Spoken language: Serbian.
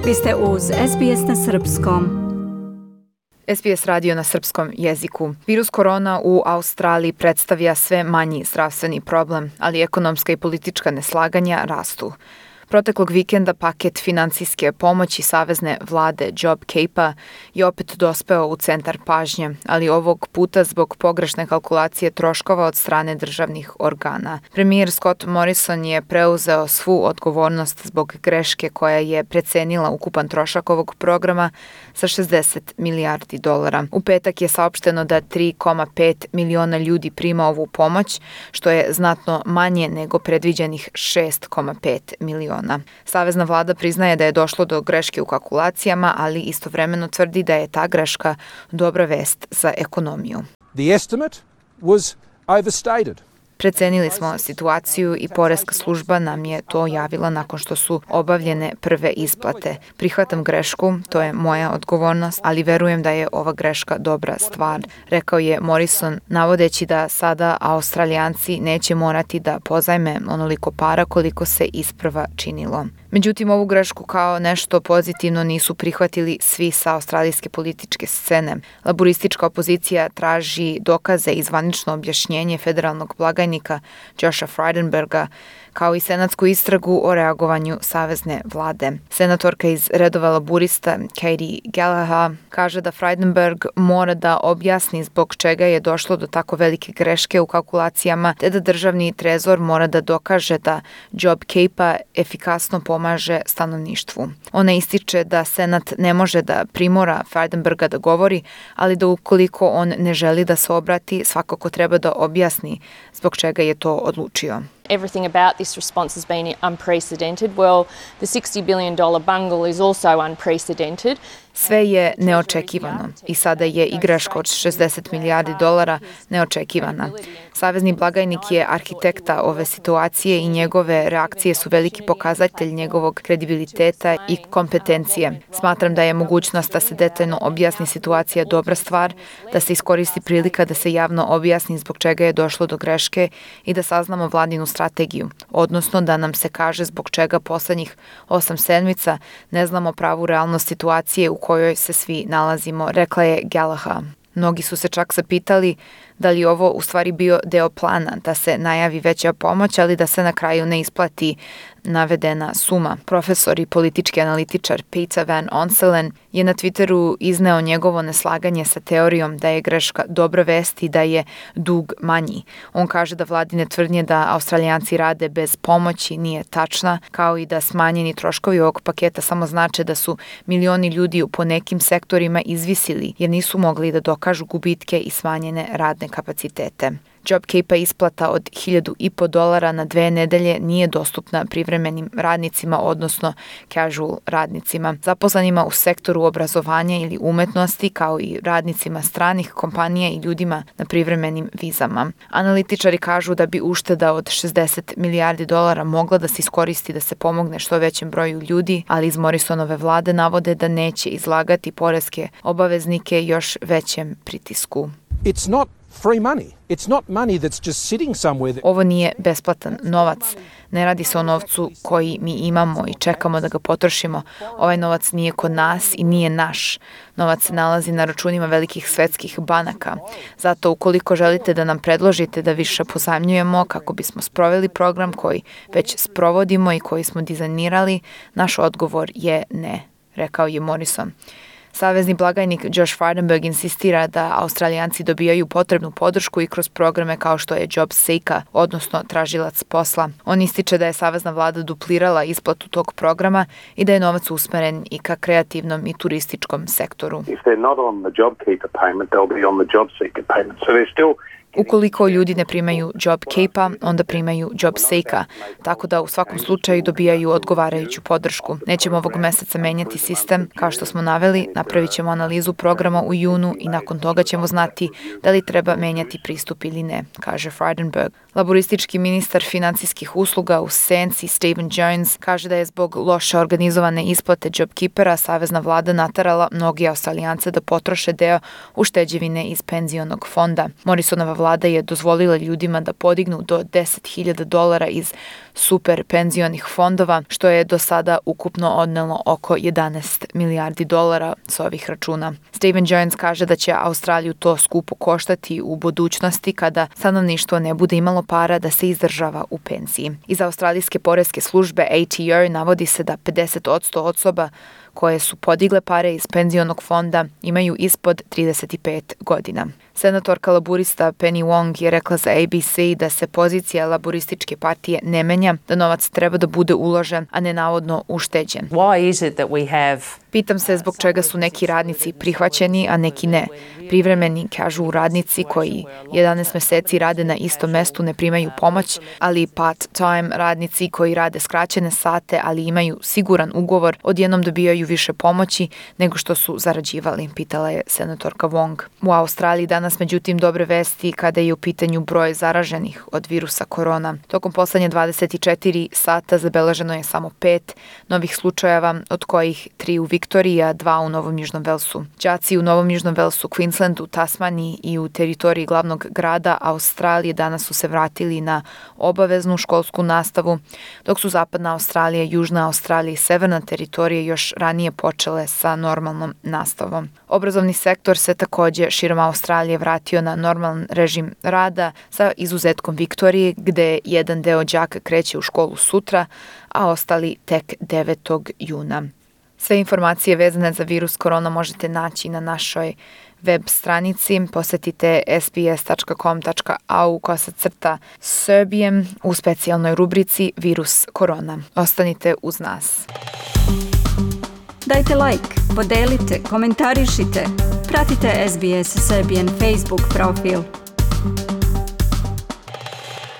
Vi ste uz SBS na Srpskom. SBS radio na srpskom jeziku. Virus korona u Australiji predstavlja sve manji zdravstveni problem, ali ekonomska i politička neslaganja rastu. Proteklog vikenda paket finansijske pomoći savezne vlade JobKeepa je opet dospeo u centar pažnje, ali ovog puta zbog pogrešne kalkulacije troškova od strane državnih organa. Premijer Scott Morrison je preuzeo svu odgovornost zbog greške koja je precenila ukupan trošak ovog programa sa 60 milijardi dolara. U petak je saopšteno da 3,5 miliona ljudi prima ovu pomoć, što je znatno manje nego predviđenih 6,5 miliona. Savezna vlada priznaje da je došlo do greške u kalkulacijama, ali istovremeno tvrdi da je ta greška dobra vest za ekonomiju. The estimate was overstated. Precenili smo situaciju i poreska služba nam je to javila nakon što su obavljene prve isplate. Prihvatam grešku, to je moja odgovornost, ali verujem da je ova greška dobra stvar, rekao je Morrison, navodeći da sada Australijanci neće morati da pozajme onoliko para koliko se isprva činilo. Međutim, ovu grešku kao nešto pozitivno nisu prihvatili svi sa australijske političke scene. Laboristička opozicija traži dokaze i zvanično objašnjenje federalnog blagajnika Josha Frydenberga, kao i senatsku istragu o reagovanju savezne vlade. Senatorka iz redova laborista Katie Gallagher kaže da Frydenberg mora da objasni zbog čega je došlo do tako velike greške u kalkulacijama, te da državni trezor mora da dokaže da JobKeepa efikasno pomaže stanovništvu. Ona ističe da Senat ne može da primora Frydenberga da govori, ali da ukoliko on ne želi da se obrati, svakako treba da objasni zbog čega je to odlučio. Everything about this response has been unprecedented. Well, the $60 billion bungle is also unprecedented. Sve je neočekivano i sada je i greška od 60 milijardi dolara neočekivana. Savezni blagajnik je arhitekta ove situacije i njegove reakcije su veliki pokazatelj njegovog kredibiliteta i kompetencije. Smatram da je mogućnost da se detaljno objasni situacija dobra stvar, da se iskoristi prilika da se javno objasni zbog čega je došlo do greške i da saznamo vladinu strategiju, odnosno da nam se kaže zbog čega poslednjih 8 sedmica ne znamo pravu realnost situacije u kojoj se svi nalazimo, rekla je Gallagher. Mnogi su se čak zapitali da li ovo u stvari bio deo plana, da se najavi veća pomoć, ali da se na kraju ne isplati navedena suma. Profesor i politički analitičar Peter Van Onselen je na Twitteru izneo njegovo neslaganje sa teorijom da je greška dobra vest i da je dug manji. On kaže da vladine tvrdnje da Australijanci rade bez pomoći nije tačna, kao i da smanjeni troškovi ovog paketa samo znače da su milioni ljudi po nekim sektorima izvisili jer nisu mogli da dokažu gubitke i smanjene radne kapacitete. JobKeepa isplata od $1.500 na 2 nedelje nije dostupna privremenim radnicima, odnosno casual radnicima, zaposlenima u sektoru obrazovanja ili umetnosti, kao i radnicima stranih kompanija i ljudima na privremenim vizama. Analitičari kažu da bi ušteda od 60 milijardi dolara mogla da se iskoristi da se pomogne što većem broju ljudi, ali iz Morrisonove vlade navode da neće izlagati poreske obaveznike još većem pritisku. It's not free money. It's not money that's just sitting somewhere. Ovo nije besplatan novac. Ne radi se o novcu koji mi imamo i čekamo da ga potrošimo. Ovaj novac nije kod nas i nije naš. Novac se nalazi na računima velikih svetskih banaka. Zato ukoliko želite da nam predložite da više pozajmljujemo kako bismo sproveli program koji već sprovodimo i koji smo dizajnirali, naš odgovor je ne, rekao je Morrison. Savezni blagajnik Josh Frydenberg insistira da Australijanci dobijaju potrebnu podršku i kroz programe kao što je JobSeeker, odnosno tražilac posla. On ističe da je savezna vlada duplirala isplatu tog programa i da je novac usmeren i ka kreativnom i turističkom sektoru. If they're not on the JobKeeper payment, they'll be on the JobSeeker payment. So they're still Ukoliko ljudi ne primaju JobKeepa, onda primaju JobSeeker, tako da u svakom slučaju dobijaju odgovarajuću podršku. Nećemo ovog meseca menjati sistem, kao što smo naveli, napravit ćemo analizu programa u junu i nakon toga ćemo znati da li treba menjati pristup ili ne, kaže Frydenberg. Laboristički ministar finansijskih usluga u senci Stephen Jones kaže da je zbog loše organizovane isplate JobKeepera savezna vlada naterala mnogi Australijance da potroše deo ušteđevine iz penzionog fonda. Morrisonova vlada vlada je dozvolila ljudima da podignu do $10.000 iz super penzionih fondova, što je do sada ukupno odnelo oko $11 milijardi s ovih računa. Stephen Jones kaže da će Australiju to skupo koštati u budućnosti kada stanovništvo ne bude imalo para da se izdržava u penziji. Iz australijske poreske službe ATO navodi se da 50% osoba koje su podigle pare iz penzionog fonda imaju ispod 35 godina. Senatorka laburista Penny Wong je rekla za ABC da se pozicija laburističke partije ne menja, da novac treba da bude uložen, a ne navodno ušteđen. Pitam se zbog čega su neki radnici prihvaćeni, a neki ne. Privremeni, kažu radnici koji 11 meseci rade na istom mestu ne primaju pomoć, ali part-time radnici koji rade skraćene sate, ali imaju siguran ugovor, odjednom dobijaju više pomoći nego što su zarađivali, pitala je senatorka Wong. U Australiji danas međutim dobre vesti kada je u pitanju broj zaraženih od virusa korona. Tokom poslednje 24 sata zabeleženo je samo 5 novih slučajeva, od kojih 3 u Viktoriji, a 2 u Novom Južnom Velsu. Đaci u Novom Južnom Velsu, Queenslandu, Tasmaniji i u teritoriji glavnog grada Australije danas su se vratili na obaveznu školsku nastavu, dok su zapadna Australija, južna Australija i severna teritorija još ranije počele sa normalnom nastavom. Obrazovni sektor se takođe širom Australije vratio na normalan režim rada sa izuzetkom Viktorije, gde jedan deo đaka kreće u školu sutra, a ostali tek 9. juna. Sve informacije vezane za virus korona možete naći na našoj web stranici. Posetite sbs.com.au/Serbian u specijalnoj rubrici Virus korona. Ostanite uz nas. Dajte like, podelite, komentarišite. Pratite SBS Serbian Facebook profil.